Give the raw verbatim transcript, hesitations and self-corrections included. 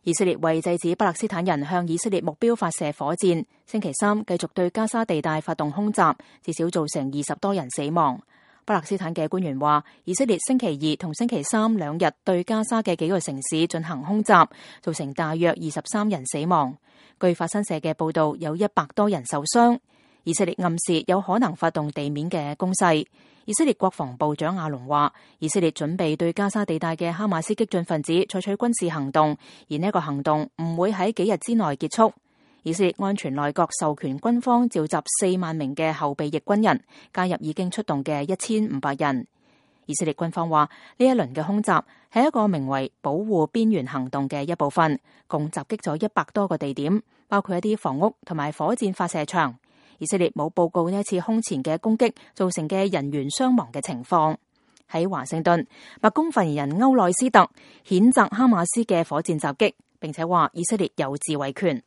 以色列為制止巴勒斯坦人向以色列目標發射火箭，星期三繼續對加沙地帶發動空襲，至少造成二十多人死亡。巴勒斯坦嘅官員話，以色列星期二同星期三兩日對加沙嘅幾個城市進行空襲，造成大約二十三人死亡。據法新社嘅報道，有一百多人受傷。以色列暗示有可能發動地面嘅攻勢。以色列國防部長亞隆話，以色列準備對加沙地帶嘅哈馬斯激進分子採取軍事行動，而呢一個行動唔會喺幾日之內結束。以色列安全內閣授權軍方召集四萬名嘅後備役軍人，加入已經出動嘅一千五百人。以色列軍方話，呢一輪嘅空襲係一個名為保護邊緣行動嘅一部分，共襲擊咗一百多個地點，包括一啲房屋同埋火箭發射場。以色列冇報告呢一次空前嘅攻擊造成嘅人員傷亡嘅情況。喺華盛頓，白宮發言人歐內斯特譴責哈馬斯嘅火箭襲擊，並且話以色列有自衛權。